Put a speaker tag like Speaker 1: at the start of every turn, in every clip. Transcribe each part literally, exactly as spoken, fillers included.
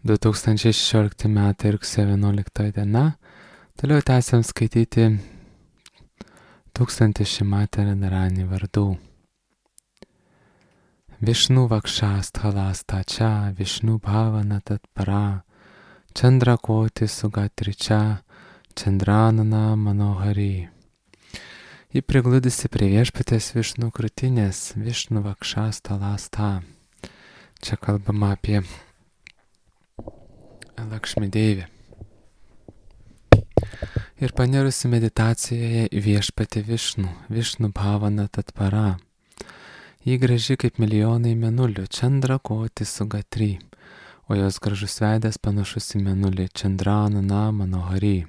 Speaker 1: du tūkstančiai šešiolikti metai rugsėjo vienuolikta diena. Toliau tęsiam skaityti tūkstantį Šimatė Radharani vardų. Višnu vakšasthalastāčā, Višnu bhavana tatparā, Chandrakoti sugatričā, Chandranana manohari. Ji prigludusi prie viešpatės Višnu krūtinės, Višnu vakšasthalastā. Čia kalbama apie Lakšmi Deivę. Ir panirusi meditacijoje į viešpatį Višnu, Višnu bhavana tatparā. Ji graži kaip milijonai mėnulių, Chandrakoti sugatri, o jos gražus veidas panašus į mėnulį, Chandranana manohari.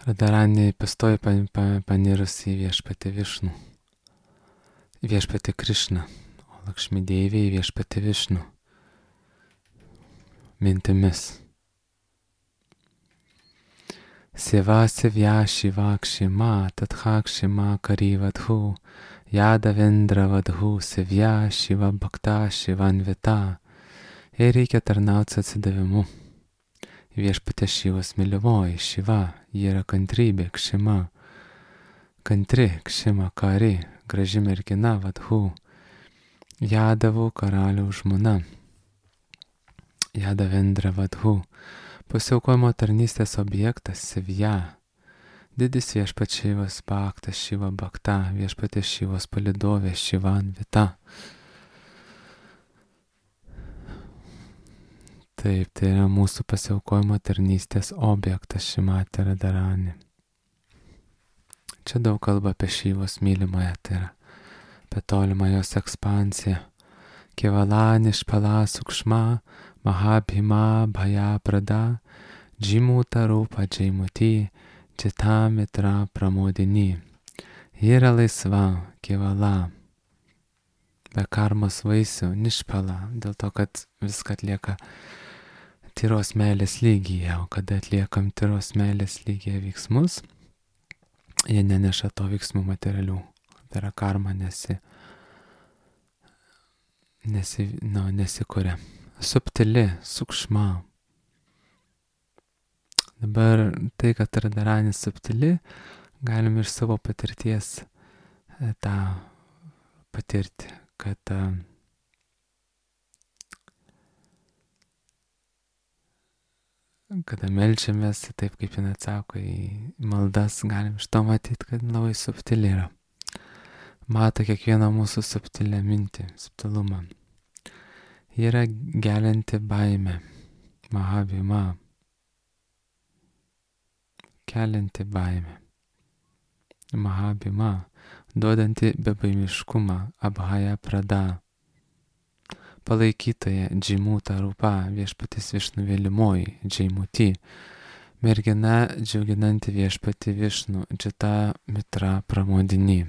Speaker 1: Radharani pastoja panirusi į viešpatį Višnu, į viešpatį Krišną, o Lakšmi Deivė į viešpatį Višnu. Mintimis. Siva sivya shiva kshima tatha kshima karivadhu Yada vendra vadhu sivya shiva bhakta shivanvita. Jai reikia tarnauti atsidavimu. Viešpatė Šivos mylimoji, Šiva, ji yra kantrybė, kšima. Kantri, kšima, kari, graži mergina, vadhu. Jadavų karaliaus žmona. Yada vendra vadhu. Pasiaukojimo tarnystės objektas, Sivya. Didis viešpats Šivas bhaktas, Šiva bhakta, viešpatės Šivos palidovė, Šivanvita. Taip, tai yra mūsų pasiaukojimo tarnystės objektas Šimatė Radharani. Čia daug kalba apie Šivos mylimąją, tai yra apie tolimą jos ekspansiją. Kevalani špala sukšma, mahabhima bhaya prada, džimuta rūpa džimuti, čita mitra pramodini. Ji yra laisva, kevala, be karmos vaisių, nišpala, dėl to, kad viską atlieka tyros meilės lygyje, o kada atliekam tyros meilės lygyje veiksmus, jie neneša to veiksmų materialių. Tai yra karma nesi, nesi, nu, nesikuria. Subtili, sukšma. Dabar tai, kad Radharani subtili, galim iš savo patirties tą patirti, kad kada melčiamės, taip kaip jin atsako į maldas, galim iš to matyti, kad labai subtili yra. Mato kiekvieną mūsų subtilę mintį, subtilumą. Ji yra gelianti baimė, mahabhima, kelianti baimę, mahabhima, duodanti bebaimiškumą, abhaya prada, palaikytoja, džimuta rūpa, viešpatis Višnu vėlimoji, džimuti, mergina džiauginanti viešpatį Višnu, džita mitra pramodini.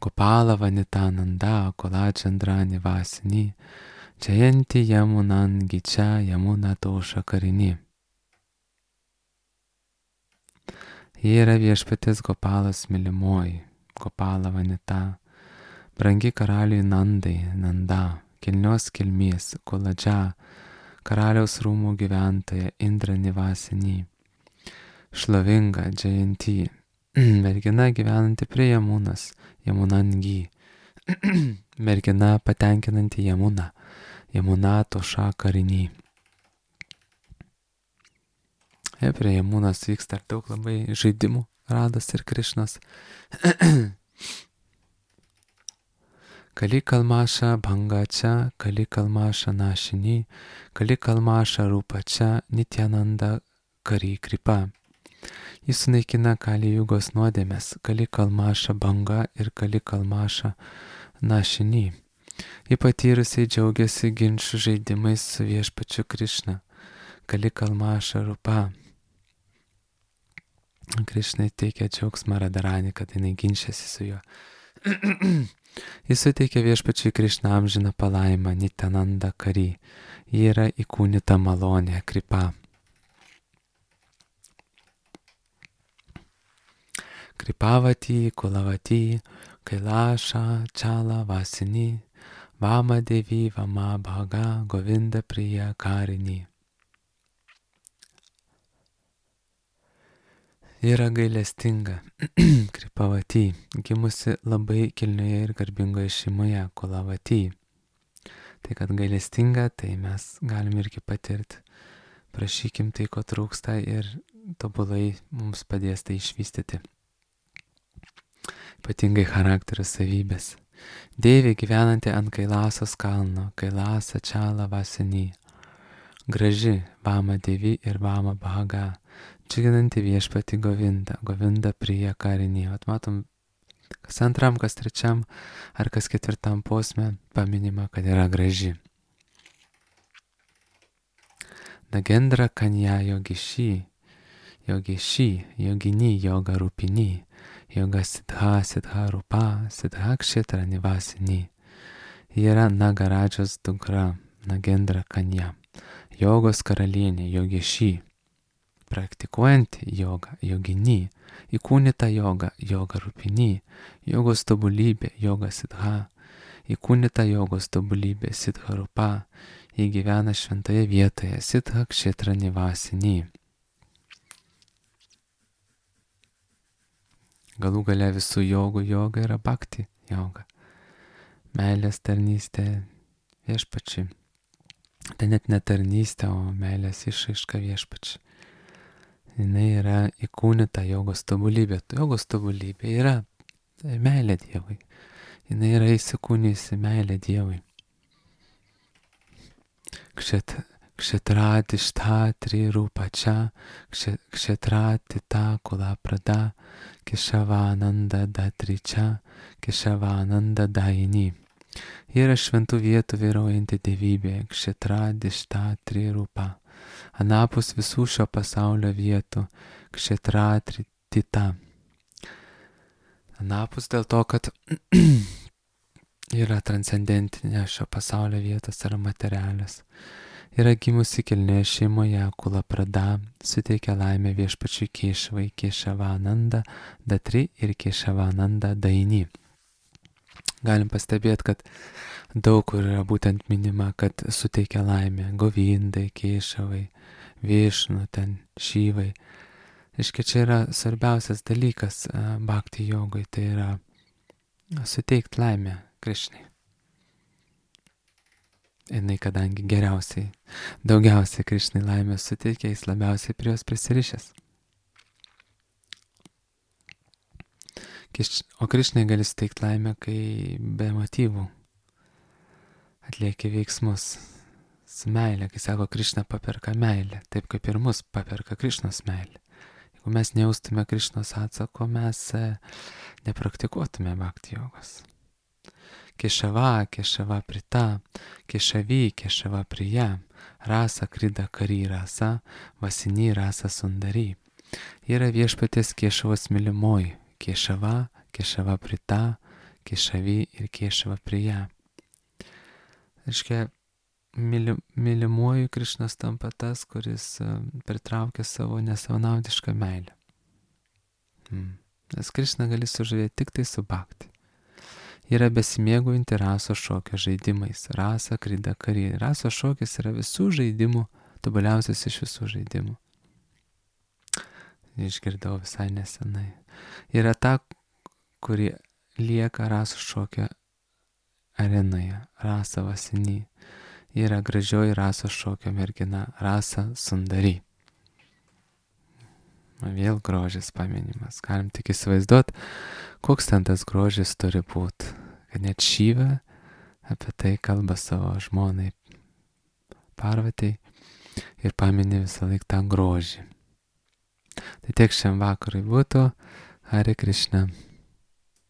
Speaker 1: Gopala vanitananda, kola chandrani vasini, jayanti yamunan gicha yamuna tosha karini. Ji yra viešpatės Gopalas mylimoji, Gopala vanita, brangi karaliui Nandai, Nanda, kilnios kilmės, koladža, karaliaus rūmų gyventoja, Indra nivasini, šlovinga, jayanti, mergina gyvenanti prie Jamunas, Jamunangi, mergina patenkinanti Jamuną, Jamuna tosha karini. E, prie Jamunos vyksta daug labai žaidimų, Rados ir Krišnos. Kali kalmaša bhangača, kali kalmaša našini, kali kalmaša rūpača, nityananda kari kripa. Jis sunaikina kali jugos nuodėmės, kali kalmaša banga ir kali kalmaša našini. Ji patyrusiai džiaugiasi ginčių žaidimais su viešpačiu Krišna, kali kalmaša rūpa. Krišnai teikia džiaugsmą Radharani, kad jinai ginčiasi su juo. Jis suteikia viešpačiui Krišną amžiną palaimą, nityananda kari. Ji yra įkūnyta malonė, kripa. Kripavati, Kulavati, Kailasha, Chala, Vasini, Vama Devi Vama Bhaga Govinda Priya Karini. Yra gailestinga, Kripavati, gimusi labai kilnioje ir garbingoje šeimoje, Kulavati. Tai kad gailestinga, tai mes galim irgi patirti. Prašykim tai, ko trūksta ir tobulai mums padės tai išvystyti. Ypatingai charakterio savybės. Deivė gyvenanti ant Kailasos kalno, Kailasa Čala Vasini. Graži Vama Devi ir Vama Bhaga. Džiuginanti viešpati Govinda, Govinda Priya Karini. Vat matom, kas antram, kas trečiam ar kas ketvirtam posme paminima, kad yra graži. Nagendra Kanya Yogishi, Yogishi, Yogini, Yoga Rupini, Yoga Siddha, Siddha Rupa, Siddha Kshetra Nivasini. Ji yra Nagaradžos dukra, Nagendra Kanya, jogos karalienė, Yogishi, praktikuojanti jogą, Yogini, įkūnyta joga, Yoga Rupini, jogos tobulybė, Yoga Siddha, įkūnyta jogos tobulybė, Siddha Rupa. Ji gyvena šventoje vietoje, Siddha Kshetra Nivasini. Galų gale visų jogų joga yra bhakti joga. Meilės tarnystė viešpačiui. Tai net ne tarnystė, o meilės išraiška viešpačiui. Jinai yra įkūnyta jogos tobulybė. Jogos tobulybė yra meilė Dievui. Jinai yra įsikūnijusi meilė Dievui. Kshetrati tri rupa čia, kshetrati ta kula prada, Keshavananda datri čia, Keshavananda daini. Ji yra šventų vietų vyraujanti dievybė, kshetrati tri rupa. Anapus visų šio pasaulio vietų, kshetrati ta. Anapus dėl to, kad yra transcendentinė šio pasaulio vietos, yra materialios. Yra gimusi kilnioje šeimoje, Kula Prada, suteikia laimę viešpačiui Kešavai, Keshavananda datri ir Keshavananda daini. Galim pastebėti, kad daug kur yra būtent minima, kad suteikia laimę Govindai, Kešavai, Višnu, ten Šyvai. Iškia, čia yra svarbiausias dalykas bhakti jogui, tai yra suteikti laimę Krišnai. Jinai, kadangi geriausiai, daugiausiai Krišnai laimės suteikia, jis labiausiai prie jos prisirišęs. O Krišnai gali suteikti laimę, kai be motyvų atlieki veiksmus su meilė, kai sako, Krišna paperka meilę, taip kaip ir mus paperka Krišnos meilė. Jeigu mes nejaustume Krišnos atsako, mes nepraktikuotume bhakti jogos. Kešava, Kešava Prita, Kešavi, Kešava Priya, Rasa Krida Kari Rasa, Vasini Rasa Sundari. Yra viešpaties Kešavos mylimoji, Kešava, Kešava Prita, Kešavi ir Kešava Priya. Reiškia, myli, mylimuoju Krišnas tampa tas, kuris pritraukia savo nesavanaudišką meilę. Hmm. Nes Krišną gali sužavėti tik tai su bhakti. Yra besimėgaujanti raso šokio žaidimais. Rasa Krida Kari. Raso šokis yra visų žaidimų, tobuliausias iš visų žaidimų. Išgirdau visai nesenai. Yra ta, kuri lieka raso šokio arenoje. Rasa Vasini. Yra gražioji raso šokio mergina. Rasa Sundari. Vėl grožis paminimas. Galim tik įsivaizduoti, koks ten tas grožis turi būti. Kad net Šyva apie tai kalba savo žmonai Parvatai ir pamini visą laiką tą grožį. Tai tiek šiam vakarui būtų. Hare Krishna.